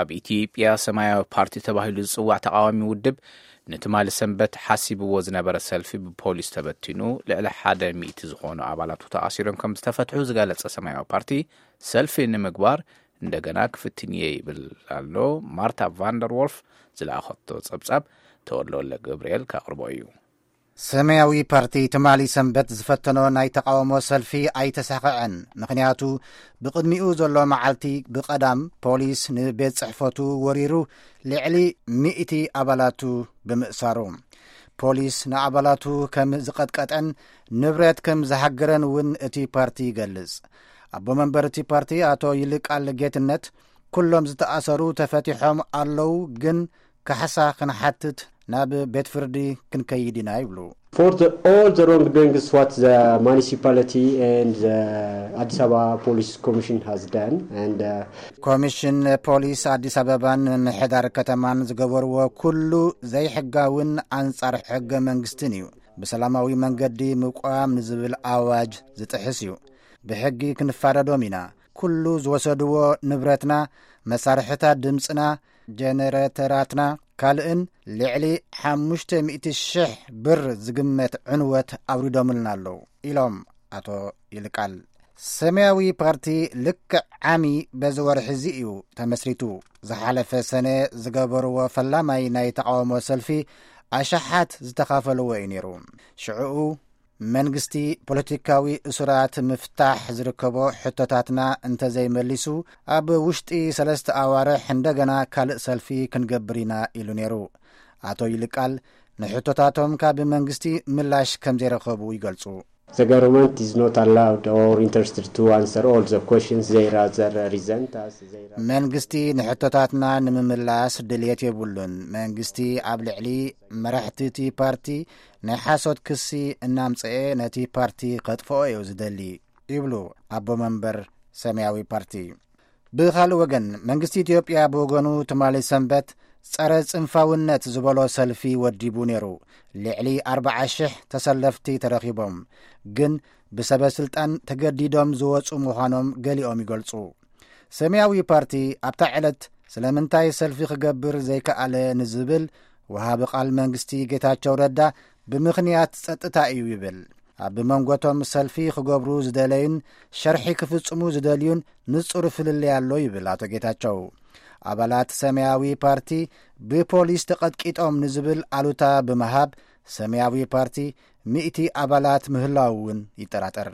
ኣብ ኢትዮጵያ ሰማያዊ ፓርቲ ተባሂሉ ዝጽዋዕ ተቓዋሚ ውድብ ንትማሊ ሰንበት ሓሲብዎ ዝነበረ ሰልፊ ብፖሊስ ተበቲኑ፣ ልዕሊ ሓደ ሚእቲ ዝኾኑ ኣባላቱ ተኣሲሮም ከም ዝተፈትሑ ዝገለጸ ሰማያዊ ፓርቲ፣ ሰልፊ ንምግባር እንደገና ክፍትን እየ ይብል ኣሎ። ማርታ ቫንደር ዎልፍ ዝለኣኸቶ ጸብጻብ ተወልደ ወልደ ገብርኤል ከቕርቦ እዩ። ሰማያዊ ፓርቲ ትማሊ ሰንበት ዝፈተኖ ናይ ተቓውሞ ሰልፊ ኣይተሳኸዐን። ምኽንያቱ፣ ብቕድሚኡ ዘሎ መዓልቲ ብቐዳም ፖሊስ ንቤት ጽሕፈቱ ወሪሩ ልዕሊ ሚእቲ ኣባላቱ ብምእሳሩ፣ ፖሊስ ንኣባላቱ ከም ዝቐጥቀጠን ንብረት ከም ዝሃገረን እውን እቲ ፓርቲ ይገልጽ። ኣቦ መንበር እቲ ፓርቲ ኣቶ ይልቃል ጌትነት፣ ኩሎም ዝተኣሰሩ ተፈቲሖም ኣለዉ፣ ግን ካሕሳ ክንሓትት ናብ ቤት ፍርዲ ክንከይድ ኢና ይብሉ። For the, all the wrongdoings what the municipality and the Addis Ababa Police Commission has done, and uh, ኮሚሽን ፖሊስ ኣዲስ ኣበባን ምምሕዳር ከተማን ዝገበርዎ ኩሉ ዘይሕጋውን ኣንጻር ሕገ መንግስትን እዩ። ብሰላማዊ መንገዲ ምቋም ንዝብል ኣዋጅ ዝጥሕስ እዩ። ብሕጊ ክንፋረዶም ኢና። ኩሉ ዝወሰድዎ ንብረትና፣ መሳርሕታት ድምፅና፣ ጀነሬተራትና ካልእን ልዕሊ ሓሙሽተ ሚእቲ ሽሕ ብር ዝግመት ዕንወት ኣውሪዶምልና ኣለዉ ኢሎም ኣቶ ይልቃል። ሰማያዊ ፓርቲ ልክዕ ዓሚ በዚ ወርሒ እዚ እዩ ተመስሪቱ። ዝሓለፈ ሰነ ዝገበርዎ ፈላማይ ናይ ተቓውሞ ሰልፊ ኣሽሓት ዝተኻፈልዎ እዩ ነይሩ። ሽዕኡ መንግስቲ ፖለቲካዊ እሱራት ምፍታሕ ዝርከቦ ሕቶታትና እንተዘይመሊሱ ኣብ ውሽጢ ሰለስተ ኣዋርሕ እንደገና ካልእ ሰልፊ ክንገብር ኢና ኢሉ ነይሩ። ኣቶ ይልቃል ንሕቶታቶም ካብ መንግስቲ ምላሽ ከም ዘይረኸቡ ይገልጹ። The government is not allowed or interested to answer all the questions. They rather resent us. They rather... መንግስቲ ንሕቶታትና ንምምላስ ድልየት የብሉን። መንግስቲ ኣብ ልዕሊ መራሕቲ እቲ ፓርቲ ናይ ሓሶት ክሲ እናምፀኤ ነቲ ፓርቲ ከጥፍኦ እዩ ዝደሊ ይብሉ ኣቦ መንበር ሰማያዊ ፓርቲ። ብኻልእ ወገን መንግስቲ ኢትዮጵያ ብወገኑ ትማሊ ሰንበት ጸረ ጽንፋውነት ዝበሎ ሰልፊ ወዲቡ ነይሩ። ልዕሊ ኣርባዓ ሽሕ ተሰለፍቲ ተረኺቦም፣ ግን ብሰበ ስልጣን ተገዲዶም ዝወጹ ምዃኖም ገሊኦም ይገልጹ። ሰማያዊ ፓርቲ ኣብታ ዕለት ስለምንታይ ሰልፊ ክገብር ዘይከኣለ ንዝብል ወሃቢ ቃል መንግስቲ ጌታቸው ረዳ ብምኽንያት ጸጥታ እዩ ይብል። ኣብ መንጎቶም ሰልፊ ክገብሩ ዝደለዩን ሸርሒ ክፍጽሙ ዝደልዩን ንጹር ፍልልይ ኣሎ ይብል ኣቶ ጌታቸው። ኣባላት ሰማያዊ ፓርቲ ብፖሊስ ተቐጥቂጦም ንዝብል ኣሉታ ብምሃብ ሰማያዊ ፓርቲ ሚእቲ ኣባላት ምህላው እውን ይጠራጠር።